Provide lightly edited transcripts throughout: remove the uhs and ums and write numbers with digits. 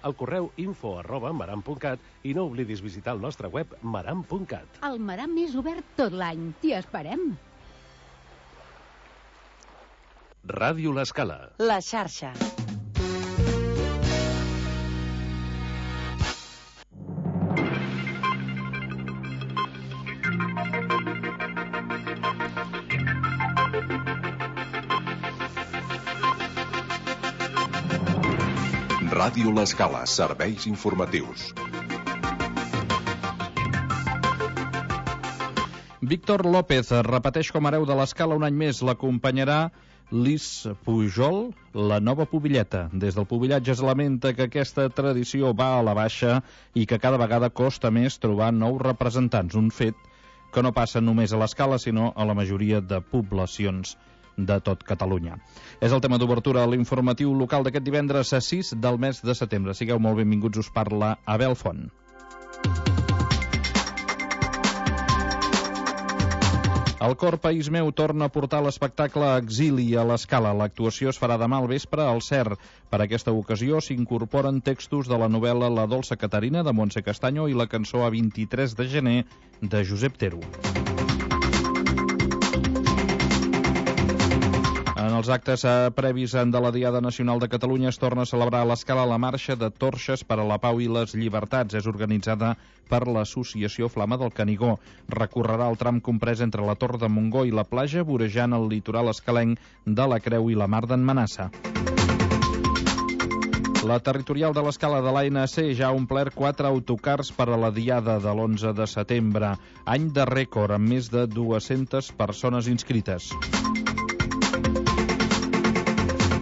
al correu info@maram.cat i no oblidis visitar el nostre web maram.cat. El Maram és obert tot l'any. T'hi esperem. Ràdio L'Escala. La xarxa. Ràdio L'Escala, serveis informatius. Víctor López repeteix com a hereu de l'Escala un any més. L'acompanyarà Lis Pujol, la nova pubilleta. Des del pubillatge es lamenta que aquesta tradició va a la baixa i que cada vegada costa més trobar nous representants. Un fet que no passa només a l'Escala, sinó a la majoria de poblacions de tot Catalunya. És el tema d'obertura a l'informatiu local d'aquest divendres a 6 del mes de setembre. Sigueu molt benvinguts, us parla Abel Font. El Cor País Meu torna a portar l'espectacle Exili a l'Escala. L'actuació es farà demà al vespre al CER. Per aquesta ocasió s'incorporen textos de la novel·la La dolça Caterina de Montse Castaño i la cançó A 23 de gener de Josep Tero. En els actes previs de la Diada Nacional de Catalunya es torna a celebrar a l'Escala la Marxa de Torxes per a la Pau i les Llibertats. És organitzada per l'Associació Flama del Canigó. Recorrerà el tram comprès entre la Torre de Montgó i la platja, vorejant el litoral escalenc de la Creu i la Mar d'en Manassa. La territorial de l'Escala de l'ANC ja ha omplert 4 autocars per a la Diada de l'11 de setembre. Any de rècord, amb més de 200 persones inscrites.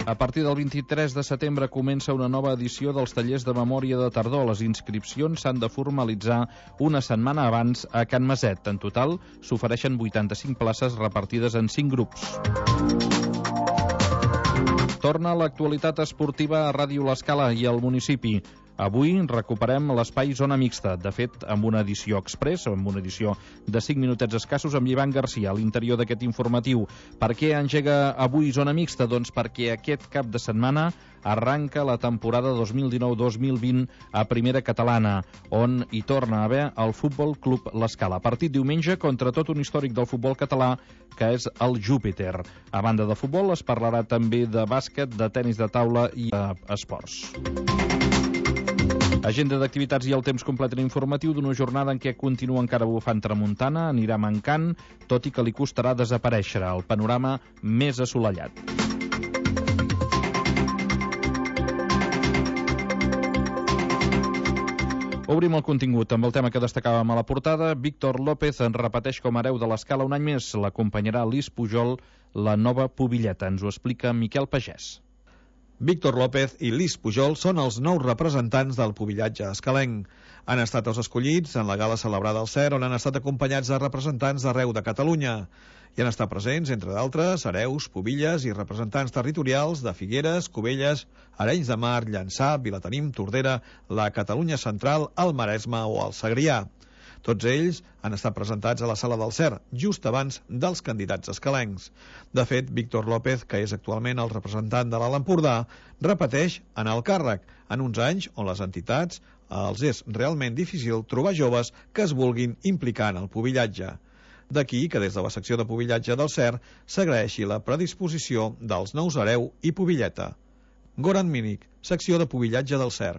A partir del 23 de setembre comença una nova edició dels tallers de memòria de tardor. Les inscripcions s'han de formalitzar una setmana abans a Can Maset. En total, s'ofereixen 85 places repartides en 5 grups. Torna l'actualitat esportiva a Ràdio L'Escala i al municipi. Avui recuperem l'espai Zona Mixta, de fet, amb una edició express, amb una edició de 5 minutets escassos, amb Ivan Garcia a l'interior d'aquest informatiu. Per què engega avui Zona Mixta? Doncs perquè aquest cap de setmana arranca la temporada 2019-2020 a Primera Catalana, on hi torna a haver el Futbol Club L'Escala. Partit diumenge contra tot un històric del futbol català, que és el Júpiter. A banda de futbol es parlarà també de bàsquet, de tenis de taula i esports. Agenda d'activitats i el temps complet en informatiu d'una jornada en què continua encara bufant tramuntana, anirà mancant, tot i que li costarà desaparèixer el panorama més assolellat. Obrim el contingut amb el tema que destacàvem a la portada. Víctor López en repeteix com a hereu de l'Escala un any més. L'acompanyarà Lis Pujol, la nova pubilleta. Ens ho explica Miquel Pagès. Víctor López i Lis Pujol són els nous representants del pubillatge escalenc. Han estat els escollits en la gala celebrada al CER, on han estat acompanyats de representants d'arreu de Catalunya. Hi han estat presents, entre d'altres, hereus, pubilles i representants territorials de Figueres, Cubelles, Arenys de Mar, Llançà, Vilatenim, Tordera, la Catalunya Central, el Maresme o el Segrià. Tots ells han estat presentats a la sala del CER, just abans dels candidats escalencs. De fet, Víctor López, que és actualment el representant de l'Alt Empordà, repeteix en el càrrec, en uns anys on les entitats els és realment difícil trobar joves que es vulguin implicar en el pubillatge. D'aquí que des de la secció de pubillatge del CER s'agraeixi la predisposició dels nous hereu i pubilleta. Goran Mínic, secció de pubillatge del CER.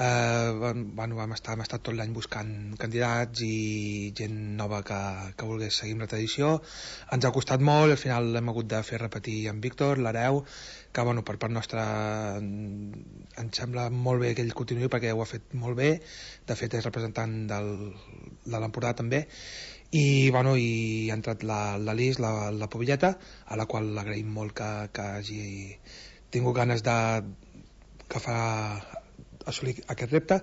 Hem estat tot l'any buscant candidats i gent nova que volgués seguir amb la tradició. Ens ha costat molt, al final hem hagut de fer repetir en Víctor, l'hereu, que per part nostra ens sembla molt bé que ell continuï perquè ho ha fet molt bé. De fet és representant de l'Empordà també. I ha entrat la Lis, la pubilleta, a la qual l'agraïm molt que hagi tingut ganes que fa assolir aquest repte.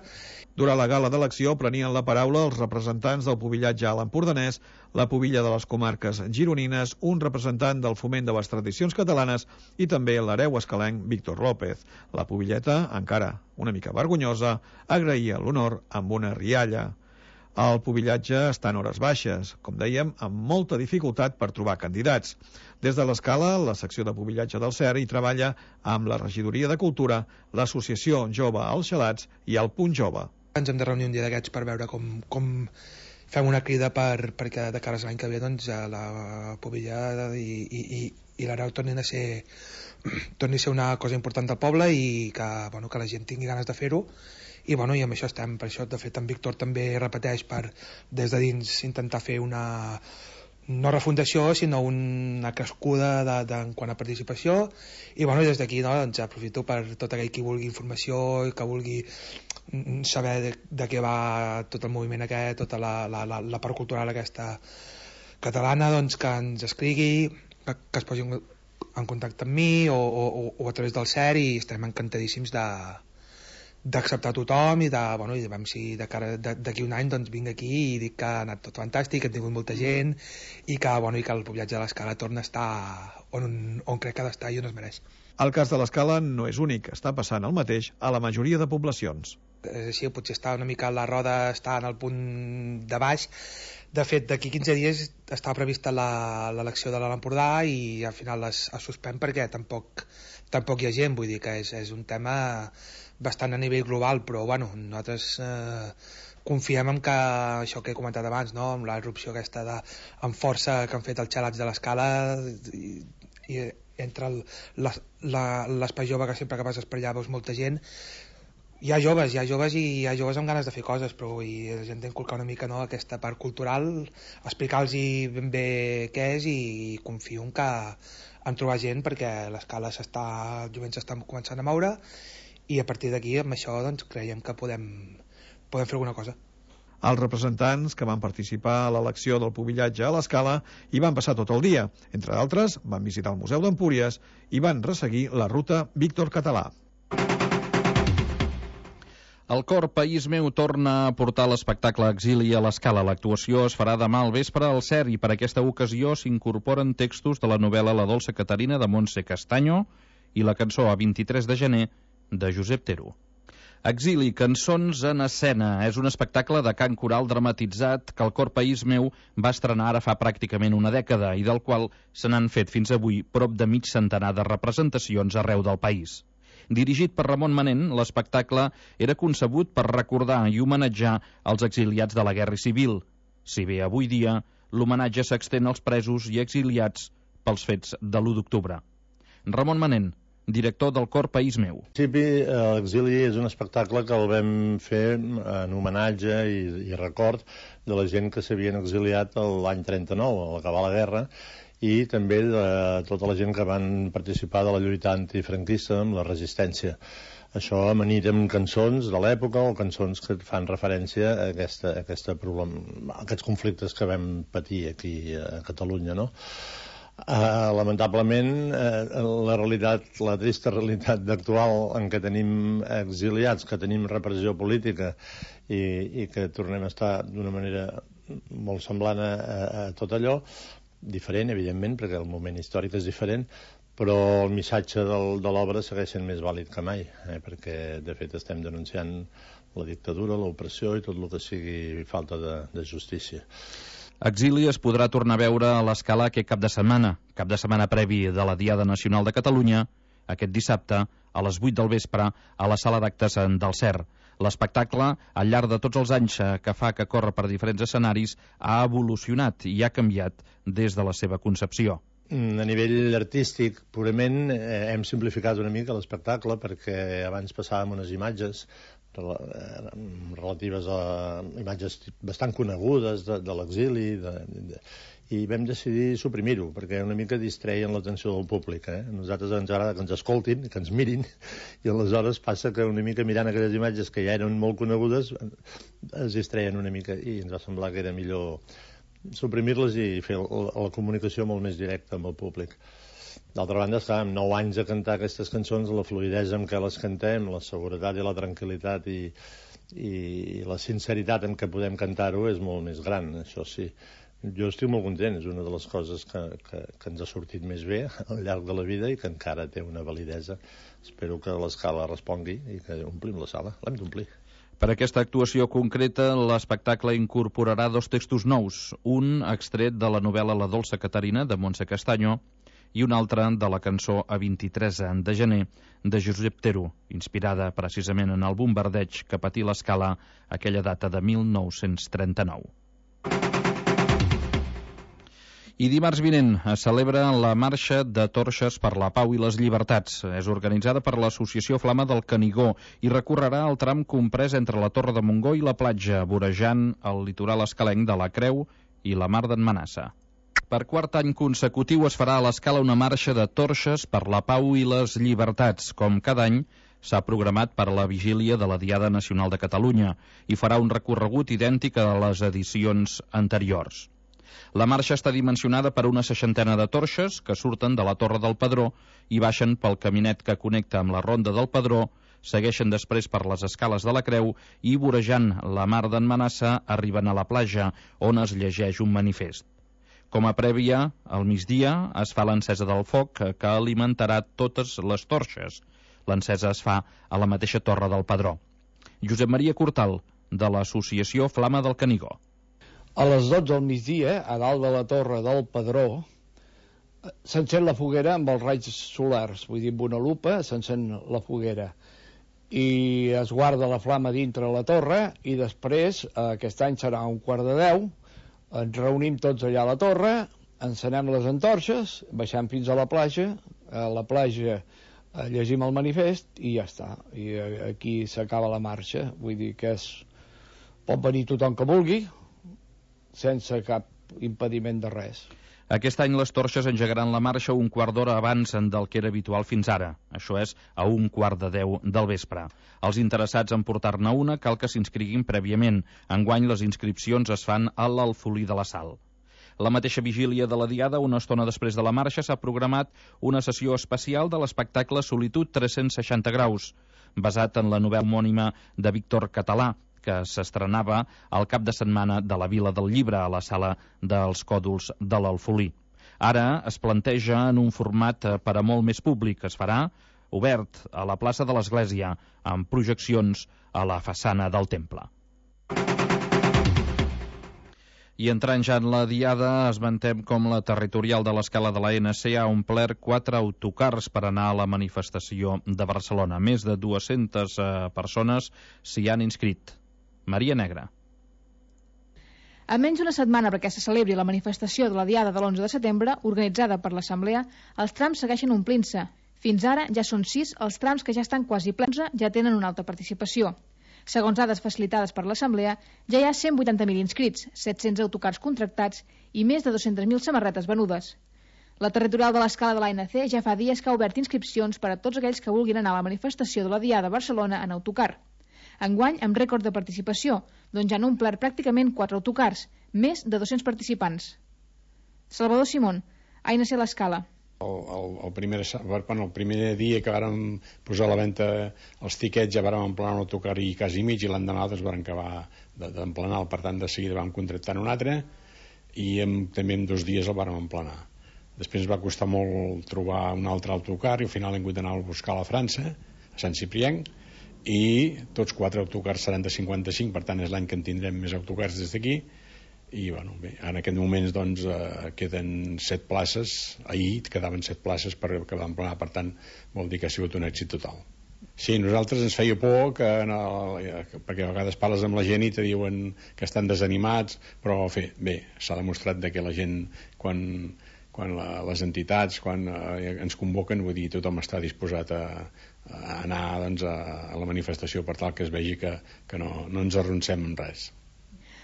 Durant la gala d'elecció prenien la paraula els representants del pubillatge a l'empordanès, la pubilla de les comarques gironines, un representant del foment de les tradicions catalanes i també l'hereu escalenc Víctor López. La pubilleta, encara una mica vergonyosa, agraïa l'honor amb una rialla. El pubillatge està en hores baixes, com dèiem, amb molta dificultat per trobar candidats. Des de l'Escala, la secció de pubillatge del CER hi treballa amb la Regidoria de Cultura, l'Associació Jove als Xalats i el Punt Jove. Ens hem de reunir un dia d'aquests per veure com fem una crida perquè de cara a l'any que ve doncs, la pubilla i l'Areu torni a ser una cosa important del poble i que la gent tingui ganes de fer-ho. I amb això estem. Per això, de fet, en Víctor també repeteix des de dins intentar fer una no refundació, sinó una crescuda en quant a participació. I des d'aquí doncs, aprofito per tot aquell qui vulgui informació i que vulgui saber de què va tot el moviment aquest, tota la part cultural aquesta catalana, doncs que ens escrigui, que es posi en contacte amb mi o a través del CER, i estarem encantadíssims d'acceptar tothom i veure si d'aquí un any doncs vinc aquí i dic que ha anat tot fantàstic, que hem tingut molta gent i que el pubillatge de l'Escala torna a estar on crec que ha d'estar i on es mereix. El cas de l'Escala no és únic, està passant el mateix a la majoria de poblacions. És així, potser està una mica la roda, està en el punt de baix. De fet, d'aquí 15 dies està prevista l'elecció de l'Alt Empordà i al final es suspèn perquè tampoc hi ha gent, vull dir que és un tema bastant a nivell global, però nosaltres confiem en que això que he comentat abans, amb la irrupció aquesta amb força que han fet els xalats de l'Escala i entre l'espai jove que sempre que passes per allà veus molta gent. Hi ha joves i hi ha joves amb ganes de fer coses, però la gent d'inculcar una mica aquesta part cultural, explicar-los ben bé què és, i confio en trobar gent perquè l'Escala el jovent s'està començant a moure, i a partir d'aquí amb això doncs, creiem que podem fer alguna cosa. Els representants que van participar a l'elecció del pubillatge a l'Escala hi van passar tot el dia. Entre d'altres, van visitar el Museu d'Empúries i van resseguir la ruta Víctor Català. El cor País Meu torna a portar l'espectacle Exili a l'Escala. L'actuació es farà demà al vespre al CER i per aquesta ocasió s'incorporen textos de la novel·la La dolça Caterina de Montse Castaño i la cançó A 23 de gener de Josep Tero. Exili, cançons en escena, és un espectacle de cant coral dramatitzat que el cor País Meu va estrenar ara fa pràcticament una dècada i del qual se n'han fet fins avui prop de mig centenar de representacions arreu del país. Dirigit per Ramon Manent, l'espectacle era concebut per recordar i homenatjar els exiliats de la Guerra Civil. Si bé avui dia l'homenatge s'extén als presos i exiliats pels fets de l'1 d'octubre. Ramon Manent, director del cor País Meu. En principi, l'exili és un espectacle que el vam fer en homenatge i record de la gent que s'havien exiliat l'any 39, a l'acabar la guerra, i també de tota la gent que van participar de la lluita antifranquista amb la resistència. Això amanit amb cançons de l'època o cançons que fan referència a aquests conflictes que vam patir aquí a Catalunya, no? Lamentablement, la trista realitat actual en què tenim exiliats, que tenim repressió política i que tornem a estar d'una manera molt semblant a tot allò, diferent, evidentment, perquè el moment històric és diferent, però el missatge de l'obra segueix sent més vàlid que mai, perquè, de fet, estem denunciant la dictadura, l'opressió i tot el que sigui falta de justícia. Exili es podrà tornar a veure a l'Escala aquest cap de setmana previ de la Diada Nacional de Catalunya, aquest dissabte, a les 8 del vespre, a la sala d'actes del CER. L'espectacle, al llarg de tots els anys que fa que corre per diferents escenaris, ha evolucionat i ha canviat des de la seva concepció. A nivell artístic, purament, hem simplificat una mica l'espectacle perquè abans passàvem unes imatges relatives a imatges bastant conegudes de l'exili i vam decidir suprimir-ho perquè una mica distreien l'atenció del públic. Nosaltres ens agrada que ens escoltin, que ens mirin, i aleshores passa que una mica mirant aquelles imatges que ja eren molt conegudes es distreien una mica i ens va semblar que era millor suprimir-les i fer la comunicació molt més directa amb el públic. D'altra banda, estar amb 9 anys a cantar aquestes cançons, la fluïdesa amb què les cantem, la seguretat i la tranquil·litat i la sinceritat en què podem cantar-ho és molt més gran, això sí. Jo estic molt content, és una de les coses que ens ha sortit més bé al llarg de la vida i que encara té una validesa. Espero que l'Escala respongui i que omplim la sala. L'hem d'omplir. Per aquesta actuació concreta, l'espectacle incorporarà 2 textos nous, un extret de la novel·la La dolça Caterina, de Montse Castaño, i un altre de la cançó A 23 de gener, de Josep Tero, inspirada precisament en el bombardeig que patí l'Escala aquella data de 1939. I dimarts vinent es celebra la Marxa de Torxes per la Pau i les Llibertats. És organitzada per l'Associació Flama del Canigó i recorrerà el tram comprès entre la Torre de Montgó i la platja, vorejant el litoral escalenc de la Creu i la Mar d'en Manassa. Per quart any consecutiu es farà a l'Escala una Marxa de Torxes per la Pau i les Llibertats. Com cada any, s'ha programat per a la vigília de la Diada Nacional de Catalunya i farà un recorregut idèntic a les edicions anteriors. La marxa està dimensionada per una 60 de torxes que surten de la Torre del Pedró i baixen pel caminet que connecta amb la Ronda del Pedró, segueixen després per les escales de la Creu i, vorejant la Mar d'en Manassa, arriben a la platja, on es llegeix un manifest. Com a prèvia, al migdia es fa l'encesa del foc que alimentarà totes les torxes. L'encesa es fa a la mateixa Torre del Pedró. Josep Maria Cortal, de l'Associació Flama del Canigó. A les 12 del migdia, a dalt de la Torre del Pedró, s'encén la foguera amb els raigs solars, vull dir, amb una lupa s'encén la foguera i es guarda la flama dintre la torre i després, aquest any serà 9:45, ens reunim tots allà a la torre, encenem les antorxes, baixem fins a la platja llegim el manifest i ja està, i aquí s'acaba la marxa, vull dir que pot venir tothom que vulgui, sense cap impediment de res. Aquest any les torxes engegaran la marxa un quart d'hora abans del que era habitual fins ara. Això és a 9:45 del vespre. Els interessats en portar-ne una cal que s'inscriguin prèviament. Enguany les inscripcions es fan a l'Alfolí de la Sal. La mateixa vigília de la Diada, una estona després de la marxa, s'ha programat una sessió especial de l'espectacle Solitud 360 graus, basat en la novel·la homònima de Víctor Català, que s'estrenava al cap de setmana de la Vila del Llibre a la sala dels Còdols de l'Alfolí. Ara es planteja en un format per a molt més públic. Es farà obert a la plaça de l'Església, amb projeccions a la façana del temple. I entrant ja en la Diada, esmentem com la territorial de l'Escala de la NC ha omplert 4 autocars per anar a la manifestació de Barcelona. Més de 200 persones s'hi han inscrit. Maria Negra. A menys d'una setmana perquè se celebri la manifestació de la Diada de l'11 de setembre, organitzada per l'Assemblea, els trams segueixen omplint-se. Fins ara ja són 6 els trams que ja estan quasi plens, ja tenen una alta participació. Segons dades facilitades per l'Assemblea, ja hi ha 180.000 inscrits, 700 autocars contractats i més de 200.000 samarretes venudes. La territorial de l'Escala de l'ANC ja fa dies que ha obert inscripcions per a tots aquells que vulguin anar a la manifestació de la Diada a Barcelona en autocar. Enguany, amb rècord de participació, doncs ja han omplert pràcticament 4 autocars, més de 200 participants. Salvador Simón, ANC l'Escala. El primer dia que vàrem posar a la venda els tiquets ja vàrem emplenar un autocar i quasi mig, i l'endemà vàrem acabar d'emplenar, per tant de seguida vam contractar un altre i també en 2 dies el vàrem emplenar. Després ens va costar molt trobar un altre autocar i al final hem hagut d'anar a buscar a la França, a Sant Ciprienc, i tots 4 autocars seran de 55, per tant és l'any que en tindrem més autocars des d'aquí. I bueno, bé, en aquest moment doncs, queden 7 places, ahir quedaven 7 places per acabar d'emplenar, per tant vol dir que ha sigut un èxit total. Sí, nosaltres ens feia por perquè a vegades parles amb la gent i te diuen que estan desanimats, però bé, s'ha demostrat que la gent quan les entitats ens convoquen, vull dir, tothom està disposat a anar doncs, a la manifestació per tal que es vegi que no ens arroncem en res.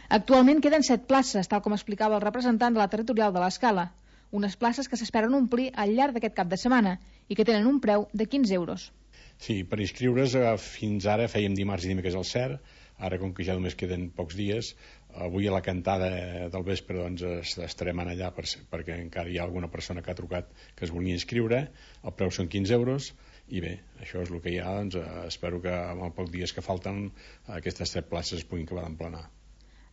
Actualment queden 7 places, tal com explicava el representant de la territorial de l'Escala. Unes places que s'esperen omplir al llarg d'aquest cap de setmana i que tenen un preu de 15 euros. Sí, per inscriure's fins ara fèiem dimarts i dimecres al CER, ara com que ja només queden pocs dies, avui a la cantada del vespre doncs, estarem allà perquè encara hi ha alguna persona que ha trucat que es volia inscriure, el preu són 15 euros, i bé, això és el que hi ha, doncs espero que amb els pocs dies que falten aquestes 7 places es puguin acabar d'emplenar.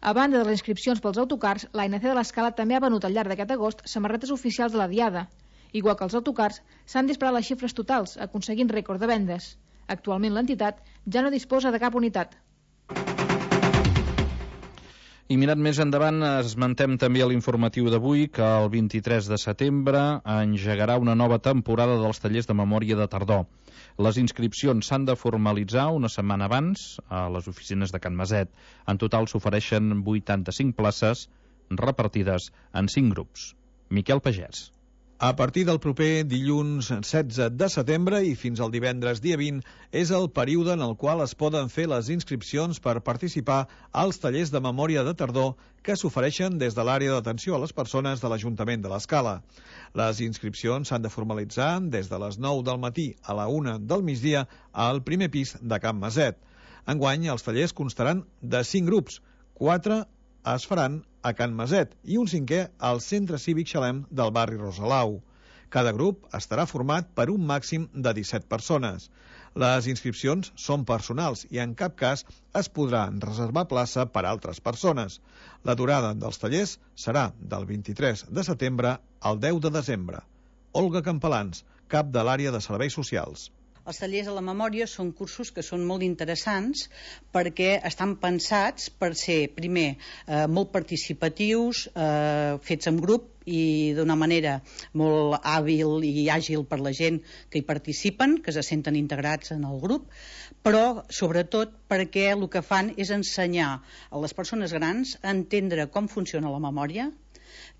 A banda de les inscripcions pels autocars, l'ANC de l'Escala també ha venut al llarg d'aquest agost samarretes oficials de la Diada. Igual que els autocars, s'han disparat les xifres totals, aconseguint rècord de vendes. Actualment l'entitat ja no disposa de cap unitat. I mirant més endavant, esmentem també a l'informatiu d'avui que el 23 de setembre engegarà una nova temporada dels tallers de memòria de tardor. Les inscripcions s'han de formalitzar una setmana abans a les oficines de Can Maset. En total s'ofereixen 85 places repartides en 5 grups. Miquel Pagès. A partir del proper dilluns 16 de setembre i fins al divendres dia 20 és el període en el qual es poden fer les inscripcions per participar als tallers de memòria de tardor que s'ofereixen des de l'àrea d'atenció a les persones de l'Ajuntament de l'Escala. Les inscripcions s'han de formalitzar des de les 9 del matí a la 1 del migdia al primer pis de Can Maset. Enguany, els tallers constaran de 5 grups, 4 es faran a Can Maset i un 5è al Centre Cívic Xalem del barri Rosalau. Cada grup estarà format per un màxim de 17 persones. Les inscripcions són personals i en cap cas es podrà reservar plaça per a altres persones. La durada dels tallers serà del 23 de setembre al 10 de desembre. Olga Campalans, cap de l'àrea de serveis socials. Els tallers de la memòria són cursos que són molt interessants perquè estan pensats per ser, primer, molt participatius, fets en grup i d'una manera molt hàbil i àgil per la gent que hi participen, que se senten integrats en el grup, però sobretot perquè el que fan és ensenyar a les persones grans a entendre com funciona la memòria,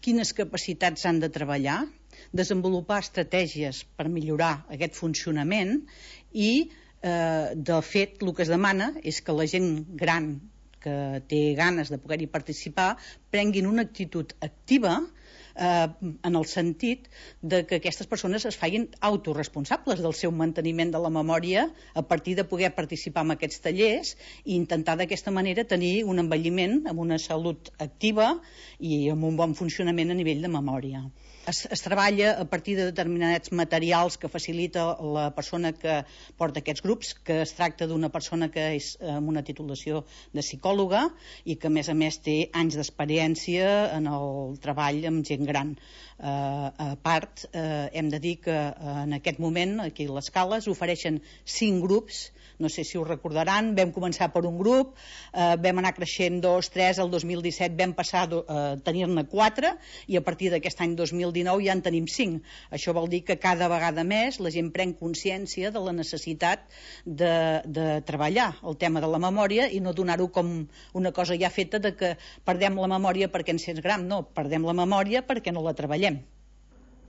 quines capacitats han de treballar, desenvolupar estratègies per millorar aquest funcionament i, de fet, el que es demana és que la gent gran que té ganes de poder-hi participar prenguin una actitud activa en el sentit de que aquestes persones es facin autoresponsables del seu manteniment de la memòria a partir de poder participar en aquests tallers i intentar d'aquesta manera tenir un envelliment amb una salut activa i amb un bon funcionament a nivell de memòria. Es treballa a partir de determinats materials que facilita la persona que porta aquests grups, que es tracta d'una persona que és amb una titulació de psicòloga i que a més té anys d'experiència en el treball amb gent gran. A part, hem de dir que en aquest moment aquí a l'Escala s'ofereixen 5 grups. No sé si ho recordaran, vam començar per un grup, vam anar creixent 2, 3, el 2017 vam passar a tenir-ne 4 i a partir d'aquest any 2019 ja en tenim 5. Això vol dir que cada vegada més la gent pren consciència de la necessitat de treballar el tema de la memòria i no donar-ho com una cosa ja feta de que perdem la memòria perquè ens sents gran. No, perdem la memòria perquè no la treballem.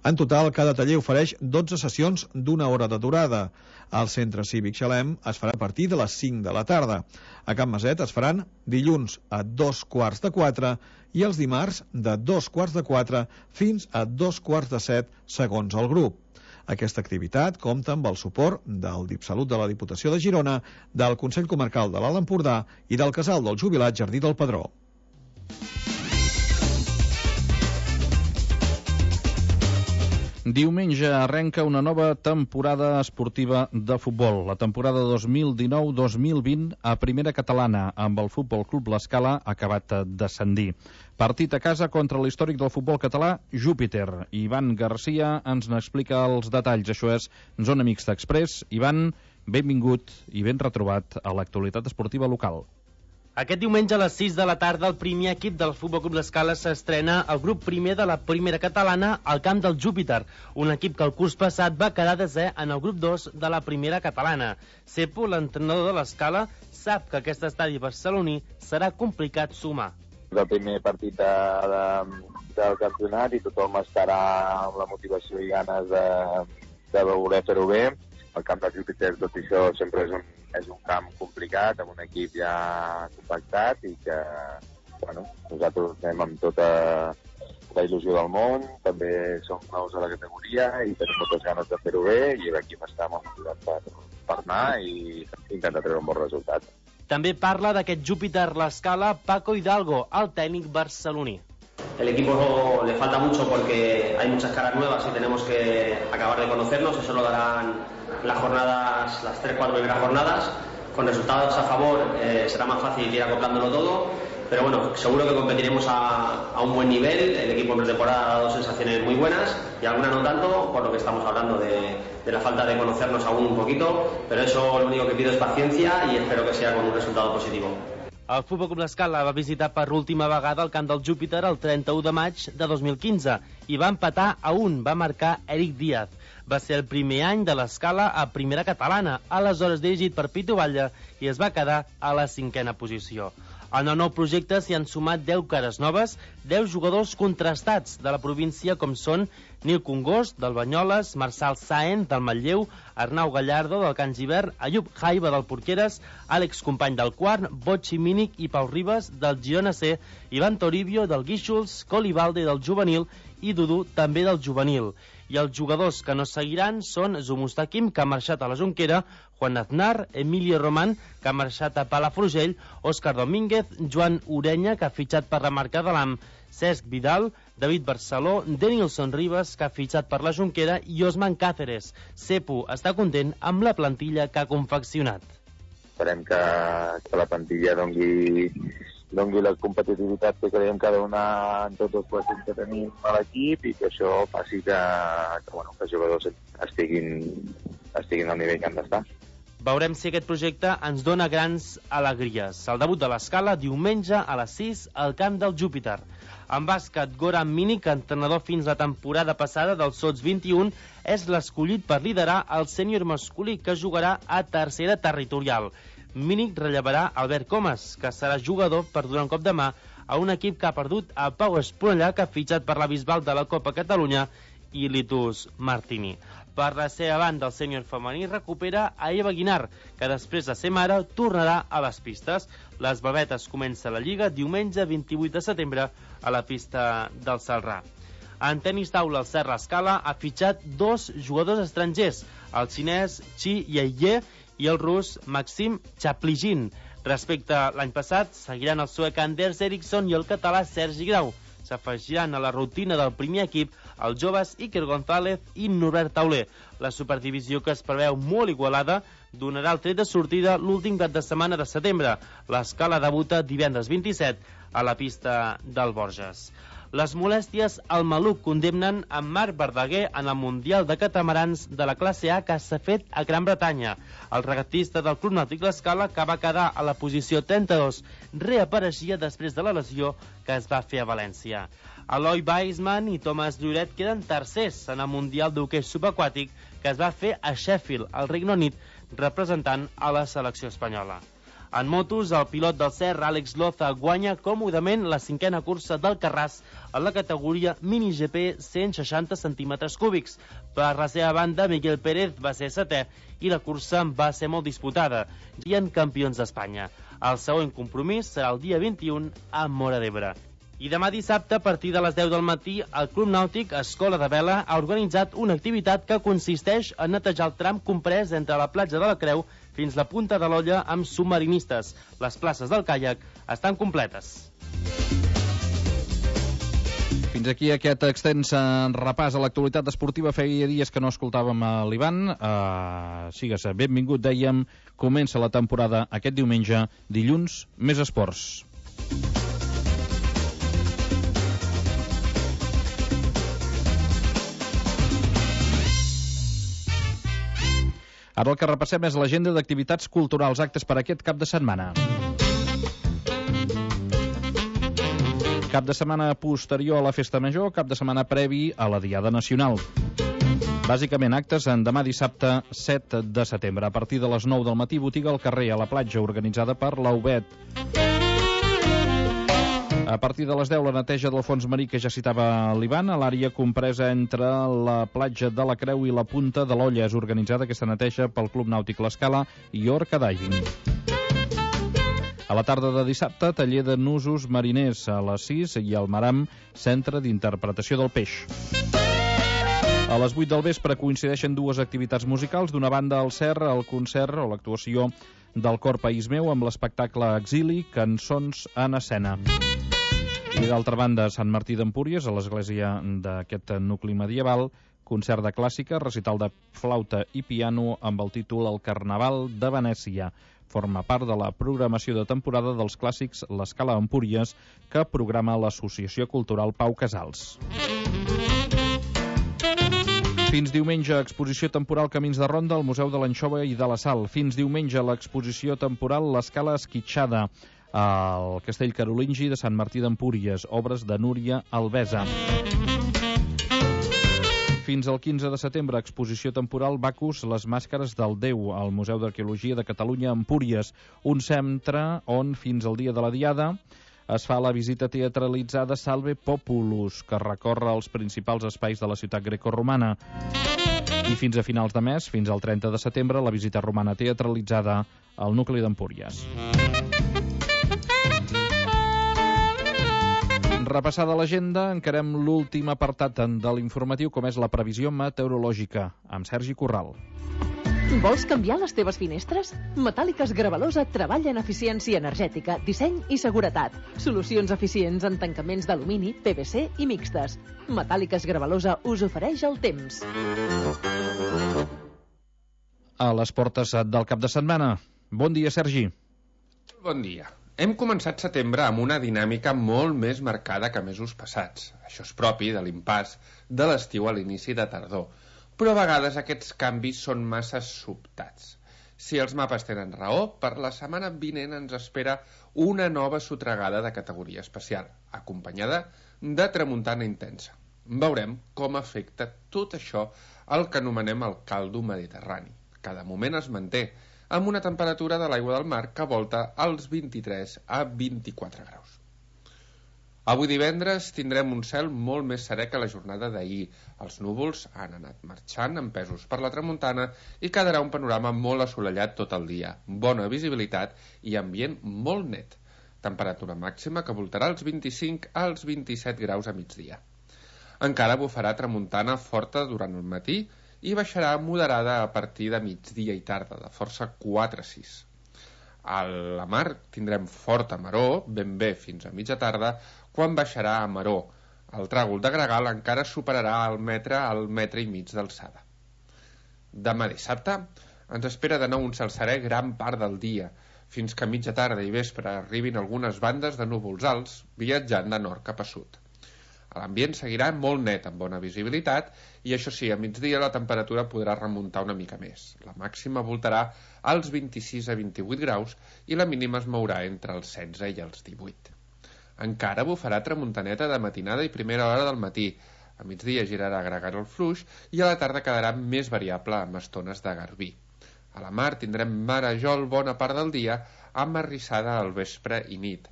En total, cada taller ofereix 12 sessions d'1 hora de durada. Al Centre Cívic Xalem es farà a partir de les 5 de la tarda. A Can Maset es faran dilluns a 2:45 i els dimarts de 2:45 fins a 2:45 segons el grup. Aquesta activitat compta amb el suport del DIPSalut de la Diputació de Girona, del Consell Comarcal de l'Alt Empordà i del Casal del Jubilat Jardí del Pedró. Diumenge arrenca una nova temporada esportiva de futbol. La temporada 2019-2020 a primera catalana, amb el Futbol Club l'Escala acabat d'ascendir. Partit a casa contra l'històric del futbol català, Júpiter. Ivan Garcia ens n'explica els detalls. Això és Zona Mixta Express. Ivan, benvingut i ben retrobat a l'actualitat esportiva local. Aquest diumenge a les 6 de la tarda el primer equip del Futbol Club l'Escala s'estrena al grup primer de la primera catalana al camp del Júpiter, un equip que el curs passat va quedar desè en el grup 2 de la primera catalana. Cepo, l'entrenador de l'Escala, sap que aquest estadi barceloní serà complicat sumar. És el primer partit del campionat i tothom estarà amb la motivació i ganes de voler fer-ho bé. El camp del Júpiter, tot i això, sempre és un camp complicat, amb un equip ja compactat i que, bueno, nosaltres anem amb tota la il·lusió del món, també som nous a la categoria i tenim moltes ganes de fer-ho bé i l'equip està molt motivat per anar i intentar treure un bon resultat. També parla d'aquest Júpiter l'Escala Paco Hidalgo, el tècnic barceloní. El equipo le falta mucho porque hay muchas caras nuevas y tenemos que acabar de conocernos. Eso lo darán las jornadas, las 3-4 primeras jornadas. Con resultados a favor será más fácil ir acoplándolo todo. pero bueno, seguro que competiremos a un buen nivel. El equipo en pretemporada ha dado sensaciones muy buenas y algunas no tanto, por lo que estamos hablando de la falta de conocernos aún un poquito, pero eso lo único que pido es paciencia y espero que sea con un resultado positivo. El Futbol Club l'Escala va visitar per última vegada el camp del Júpiter el 31 de maig de 2015 i va empatar a 1, va marcar Eric Díaz. Va ser el primer any de l'Escala a primera catalana, aleshores dirigit per Pitu Batlle, i es va quedar a la 5a posició. En el nou projecte s'hi han sumat 10 cares noves, 10 jugadors contrastats de la província com són Nil Congost, del Banyoles, Marçal Sáenz, del Manlleu, Arnau Gallardo, del Can Givert, Ayub Jaiba, del Porqueres, Àlex Company, del Quart, Botxi Mínic i Pau Ribas, del Girona C, Ivan Toribio, del Guíxols, Colibalde, del Juvenil, i Dudu, també del Juvenil. I els jugadors que no seguiran són Zumustakim, que ha marxat a la Jonquera, Juan Aznar, Emilio Román, que ha marxat a Palafrugell, Òscar Domínguez, Joan Urenya, que ha fitxat per la marca de l'AM, Cesc Vidal, David Barceló, Denilson Ribas, que ha fitxat per la Jonquera, i Osman Cáceres. Cepu està content amb la plantilla que ha confeccionat. Esperem que la plantilla dongui la competitivitat que creiem que ha de donar en tots els partits que tenim a l'equip i que això faci que els jugadors estiguin al nivell que han d'estar. Veurem si aquest projecte ens dona grans alegries. El debut de l'Escala diumenge a les 6 al camp del Júpiter. En bàsquet, Goran Mínic, entrenador fins la temporada passada del Sots 21, és l'escollit per liderar el sènior masculí que jugarà a tercera territorial. Mínic rellevarà Albert Comas, que serà jugador per donar un cop de mà a un equip que ha perdut a Pau Esponellà, que ha fitxat per la Bisbal de la Copa Catalunya, i Litus Martini. Per la seva banda, el sènior femení recupera a Eva Guinar, que després de ser mare tornarà a les pistes. Les babetes comença la Lliga diumenge 28 de setembre a la pista del Salrà. En tenis taula, el Serra Escala ha fitxat 2 jugadors estrangers, el xinès Chi Yeie i el rus Maxim Chapligin. Respecte a l'any passat, seguiran el suec Anders Eriksson i el català Sergi Grau. S'afegiran a la rutina del primer equip els joves Iker González i Norbert Tauler. La superdivisió, que es preveu molt igualada, donarà el tret de sortida l'últim cap de setmana de setembre. L'Escala debuta divendres 27 a la pista del Borges. Les molèsties al maluc condemnen en Marc Verdaguer en el Mundial de Catamarans de la classe A que s'ha fet a Gran Bretanya. El regatista del Club Nàutic l'Escala, que va quedar a la posició 32, reapareixia després de la lesió que es va fer a València. Eloi Weissman i Thomas Lloret queden tercers en el Mundial d'Hoquei Subaquàtic que es va fer a Sheffield, al Regne Unit, representant a la selecció espanyola. En motos, el pilot del Serra, Àlex Loza, guanya còmodament la 5a cursa del Carràs en la categoria Mini GP 160 centímetres cúbics. Per la seva banda, Miguel Pérez va ser 7è i la cursa va ser molt disputada. Hi ha campions d'Espanya. El següent compromís serà el dia 21 a Móra d'Ebre. I demà dissabte, a partir de les 10 del matí, el Club Nàutic Escola de Vela ha organitzat una activitat que consisteix en netejar el tram comprès entre la platja de la Creu fins la punta de l'Olla amb submarinistes. Les places del caiac estan completes. Fins aquí aquest extens repàs a l'actualitat esportiva. Feia dies que no escoltàvem a l'Ivan. Sigues benvingut, dèiem. Comença la temporada aquest diumenge, dilluns, més esports. Ara el que repassem és l'agenda d'activitats culturals, actes per aquest cap de setmana. Cap de setmana posterior a la Festa Major, cap de setmana previ a la Diada Nacional. Bàsicament actes en demà dissabte 7 de setembre. A partir de les 9 del matí, botiga al carrer a la platja, organitzada per l'Aubet. A partir de les 10, la neteja del fons marí que ja citava l'Ivan, a l'àrea compresa entre la platja de la Creu i la punta de l'Olla. És organitzada aquesta neteja pel Club Nàutic l'Escala i Orca Diving. A la tarda de dissabte, taller de nusos mariners a les 6 i al Maram, centre d'interpretació del peix. A les 8 del vespre coincideixen dues activitats musicals. D'una banda, al CER, el concert o l'actuació del Cor País Meu amb l'espectacle Exili, cançons en escena. I d'altra banda, Sant Martí d'Empúries, a l'església d'aquest nucli medieval, concert de clàssica, recital de flauta i piano amb el títol El Carnaval de Venècia. Forma part de la programació de temporada dels clàssics L'Escala Empúries, que programa l'Associació Cultural Pau Casals. Fins diumenge, exposició temporal Camins de Ronda al Museu de l'Anxova i de la Sal. Fins diumenge, l'exposició temporal L'Escala Esquitxada al Castell Carolingi de Sant Martí d'Empúries, obres de Núria Alvesa. Fins al 15 de setembre, exposició temporal Bacus, les màscares del Déu, al Museu d'Arqueologia de Catalunya a Empúries, un centre on, fins al dia de la Diada, es fa la visita teatralitzada Salve Populus, que recorre els principals espais de la ciutat grecorromana. I fins a finals de mes, fins al 30 de setembre, la visita romana teatralitzada al nucli d'Empúries. Repassada l'agenda, encarem l'últim apartat de l'informatiu, com és la previsió meteorològica, amb Sergi Corral. Vols canviar les teves finestres? Metàl·liques Gravalosa treballa en eficiència energètica, disseny i seguretat. Solucions eficients en tancaments d'alumini, PVC i mixtes. Metàl·liques Gravalosa us ofereix el temps. A les portes del cap de setmana. Bon dia, Sergi. Bon dia. Hem començat setembre amb una dinàmica molt més marcada que mesos passats. Això és propi de l'impàs de l'estiu a l'inici de tardor. Però a vegades aquests canvis són massa sobtats. Si els mapes tenen raó, per la setmana vinent ens espera una nova sotragada de categoria especial, acompanyada de tramuntana intensa. Veurem com afecta tot això el que anomenem el caldo mediterrani. Cada moment es manté amb una temperatura de l'aigua del mar que volta als 23 a 24 graus. Avui divendres tindrem un cel molt més serè que la jornada d'ahir. Els núvols han anat marxant empesos per la tramuntana i quedarà un panorama molt assolellat tot el dia. Bona visibilitat i ambient molt net. Temperatura màxima que voltarà als 25 als 27 graus a migdia. Encara bufarà tramuntana forta durant el matí i baixarà moderada a partir de migdia i tarda, de força 4 a 6. A la mar tindrem forta maror, ben bé fins a mitja tarda, quan baixarà a maror. El tràgol de gregal encara superarà al metre i mig d'alçada. Demà dissabte ens espera de nou un cel serè gran part del dia, fins que a mitja tarda i vespre arribin algunes bandes de núvols alts viatjant de nord cap a sud. L'ambient seguirà molt net, amb bona visibilitat, i això sí, a migdia la temperatura podrà remuntar una mica més. La màxima voltarà als 26 a 28 graus i la mínima es mourà entre els 16 i els 18. Encara bufarà tramuntaneta de matinada i primera hora del matí. A migdia girarà a gregal el fluix i a la tarda quedarà més variable amb estones de garbí. A la mar tindrem marejol bona part del dia amb arrissada al vespre i nit.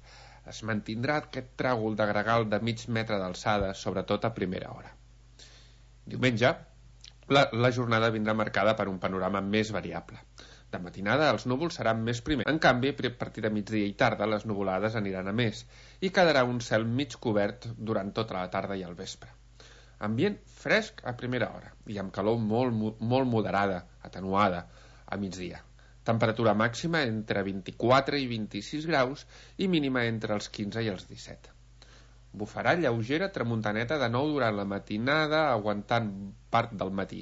Es mantindrà aquest tràgol de gregal de mig metre d'alçada, sobretot a primera hora. Diumenge, la jornada vindrà marcada per un panorama més variable. De matinada els núvols seran més primers. En canvi, a partir de migdia i tarda, les nuvolades aniran a més i quedarà un cel mig cobert durant tota la tarda i el vespre. Ambient fresc a primera hora i amb calor molt moderada, atenuada, a migdia. Temperatura màxima entre 24 i 26 graus i mínima entre els 15 i els 17. Bufarà lleugera tramuntaneta de nou durant la matinada, aguantant part del matí.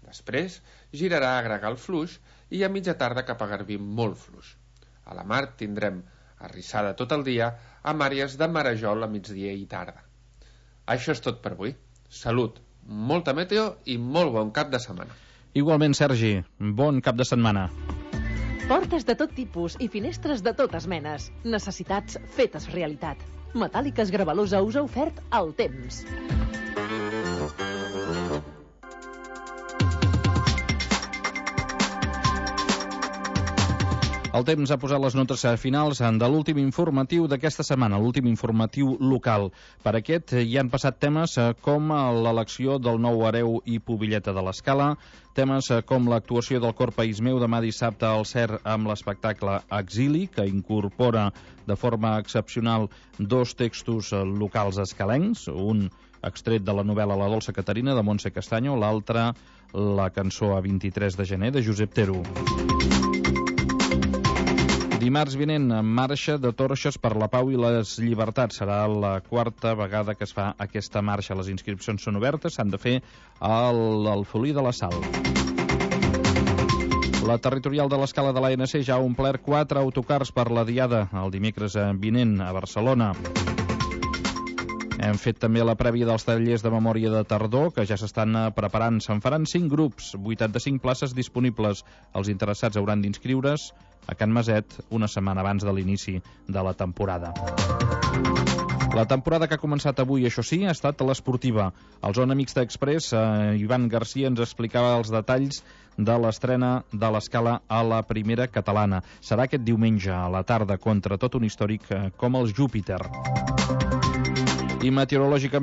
Després girarà a gregal fluix i a mitja tarda cap a garbí molt fluix. A la mar tindrem arrissada tot el dia amb àrees de marejol a migdia i tarda. Això és tot per avui. Salut, molta meteo i molt bon cap de setmana. Igualment, Sergi, bon cap de setmana. Portes de tot tipus i finestres de totes menes. Necessitats fetes realitat. Metàl·liques Gravalosa us ha ofert el temps. El temps ha posat les notes finals de l'últim informatiu d'aquesta setmana, l'últim informatiu local. Per aquest hi han passat temes com l'elecció del nou hereu i pubilleta de l'Escala, temes com l'actuació del Cor País Meu demà dissabte al CER amb l'espectacle Exili, que incorpora de forma excepcional dos textos locals escalencs, un extret de la novel·la La dolça Caterina de Montse Castaño, l'altre la cançó A 23 de gener de Josep Terú. Dimarts vinent, marxa de torxes per la pau i les llibertats. Serà la quarta vegada que es fa aquesta marxa. Les inscripcions són obertes, s'han de fer al Folí de la Sal. La territorial de l'Escala de l'ANC ja ha omplert 4 autocars per la diada el dimecres vinent a Barcelona. Hem fet també la prèvia dels tallers de memòria de tardor, que ja s'estan preparant. Se'n faran 5 grups, 85 places disponibles. Els interessats hauran d'inscriure's a Can Maset una setmana abans de l'inici de la temporada. La temporada que ha començat avui, això sí, ha estat l'esportiva. Al Zona Mixta Express, Ivan Garcia ens explicava els detalls de l'estrena de l'Escala a la primera catalana. Serà aquest diumenge a la tarda contra tot un històric com el Júpiter. I meteorològicament